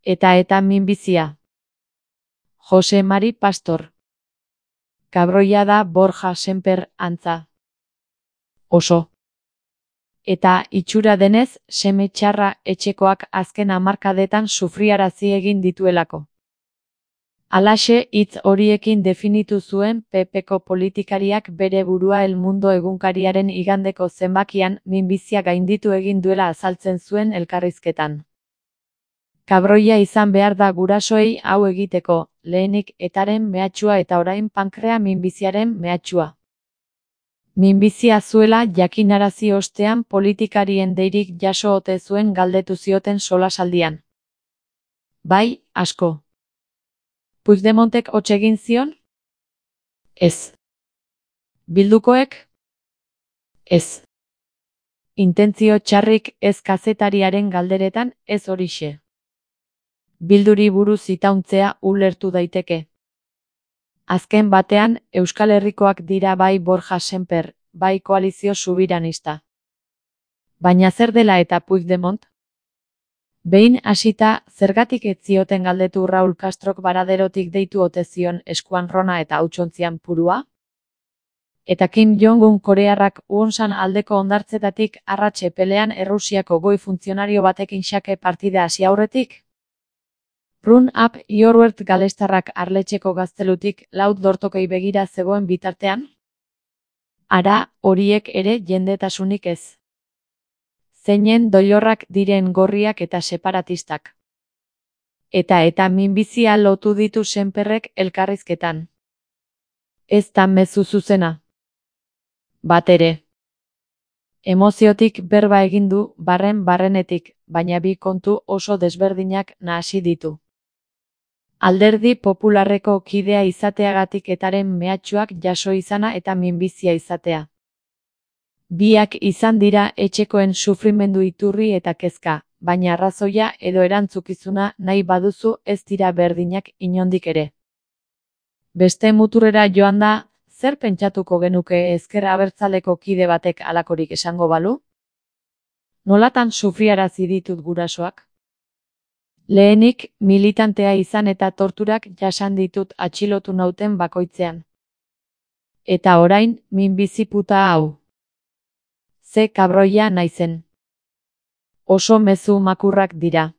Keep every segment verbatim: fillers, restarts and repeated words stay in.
Eta eta minbizia. Jose Mari Pastor. Kabroia da Borja Semper antza. Oso. Eta itxura denez, seme txarra etxekoak azken hamarkadetan sufriarazi egin dituelako. Halaxe hitz horiekin definitu zuen P Pko politikariak bere burua El Mundo egunkariaren igandeko zenbakian minbizia gainditu egin duela azaltzen zuen elkarrizketan. Kabroia izan behar da gurasoei hau egiteko, lehenik etaren mehatxua eta orain pankrea minbiziaren mehatxua. Minbizia zuela jakinarazi ostean politikarien deirik jaso ote zuen galdetu zioten solasaldian. Bai, asko. Puigdemontek hots egin zion? Ez. Bildukoek? Ez. Intentzio txarrik ez kazetariaren galderetan, ez horixe. Bilduri buruz itauntzea ulertu daiteke. Azken batean, Euskal Herrikoak dira bai Borja Semper, bai koalizio subiranista. Baina zer dela eta Puigdemont? Behin hasita, zergatik ez zioten galdetu Raul Castrok Baraderotik deitu ote zion eskuan rona eta hautsontzian purua? Eta Kim Jong-un korearrak Wonsan aldeko hondartzetatik arratse pelean Errusiako goi funtzionario batekin xake partida hasi aurretik? Run up your word galestarrak Arletxeko gaztelutik laut dortokei begira zegoen bitartean? Ara, horiek ere jendetasunik ez. Zeinen doilorrak diren gorriak eta separatistak. Eta eta minbizia lotu ditu Semperrek elkarrizketan. Ez da mezu zuzena. Bat ere. Emoziotik berba egin du barren barrenetik, baina bi kontu oso desberdinak nahasi ditu. Alderdi Popularreko kidea izateagatik etaren mehatxuak jaso izana eta minbizia izatea. Biak izan dira etxekoen sufrimendu iturri eta kezka, baina arrazoia edo erantzukizuna nahi baduzu ez dira berdinak inondik ere. Beste muturrera joan da, zer pentsatuko genuke ezker abertzaleko kide batek halakorik esango balu? Nolatan sufriarazi ditut gurasoak? Lehenik, militantea izan eta torturak jasan ditut atxilotu nauten bakoitzean. Eta orain, minbizi puta hau. Ze kabroia naizen. Oso mezu makurrak dira.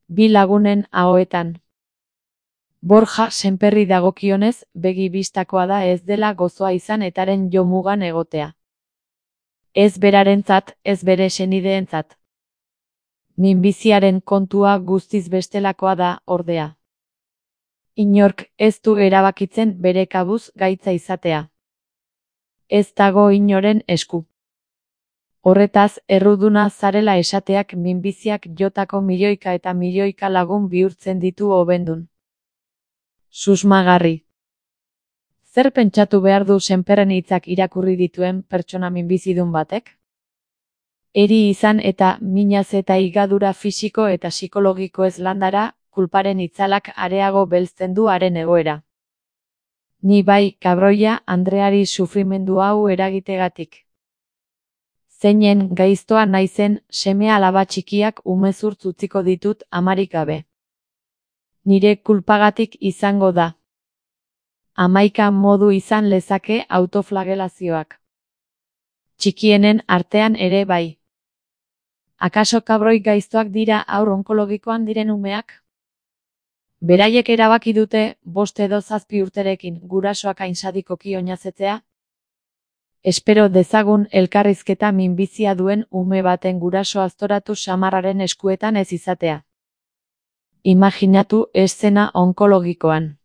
Bi lagunen ahoetan. Borja Semperri dagokionez, begi bistakoa da ez dela gozoa izan etaren jomugan egotea. Ez berarentzat, ez bere senideentzat. Minbiziaren kontua guztiz bestelakoa da, ordea. Inork ez du erabakitzen bere kabuz gaitza izatea. Ez dago inoren esku. Horretaz, erruduna zarela esateak minbiziak jotako milioika eta milioika lagun bihurtzen ditu hobendun. Susmagarri. Zer pentsatu behar du Semperren hitzak irakurri dituen pertsona minbizidun batek? Eri izan eta minaz eta higadura fisiko eta psikologiko ez landara, kulparen itzalak areago belzten du haren egoera. Ni bai, kabroia, Andreari sufrimendu hau eragitegatik. Zeinen gaiztoa naizen, seme alaba txikiak umezurtz utziko ditut amarik gabe. Nire kulpagatik izango da. Hamaika modu izan lezake autoflagelazioak. Txikienen artean ere bai. Akaso kabroi gaiztoak dira haur onkologikoan diren umeak? Beraiek erabaki dute, bost edo zazpi urterekin gurasoak hainsadikoki oinazetzea? Espero dezagun elkarrizketa minbizia duen ume baten guraso aztoratu samarraren eskuetan ez izatea. Imaginatu eszena onkologikoan.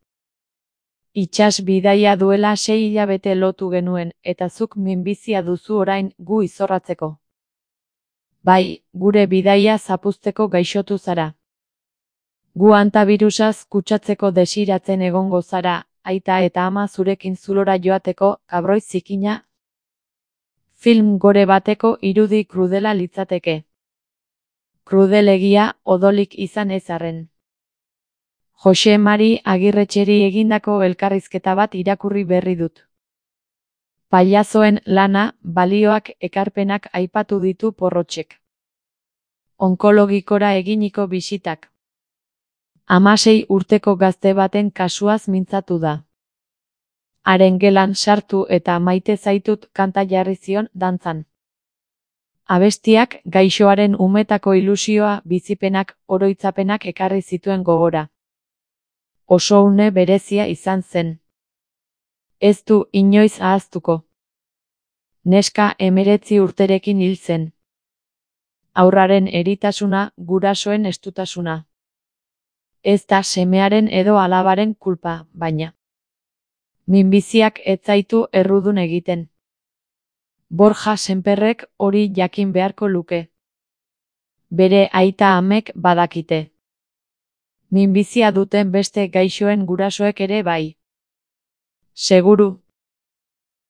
Itsas bidaia duela sei hilabete lotu genuen, eta zuk minbizia duzu orain gu izorratzeko. Bai, gure bidaia zapuzteko gaixotu zara. Gu antabirusaz kutsatzeko desiratzen egongo zara, aita eta ama zurekin zulora joateko, kabroi zikina. Film gore bateko irudi krudela litzateke. Krudelegia odolik izan ez arren. Jose Mari Agirretxeri egindako elkarrizketa bat irakurri berri dut. Pailazoen lana, balioak, ekarpenak aipatu ditu Porrotxek. Onkologikora eginiko bisitak. Hamasei urteko gazte baten kasuaz mintzatu da. Haren gelan sartu eta maite zaitut kanta jarri zion dantzan. Abestiak gaixoaren umetako ilusioa, bizipenak, oroitzapenak ekarri zituen gogora. Oso une berezia izan zen. Ez du inoiz ahaztuko. Neska hemeretzi urterekin hil zen. Haurraren eritasuna, gurasoen estutasuna. Ez da semearen edo alabaren kulpa, baina. Minbiziak ez zaitu errudun egiten. Borja Sémperrek hori jakin beharko luke. Bere aita amek badakite. Minbizia duten beste gaixoen gurasoek ere bai. Seguru,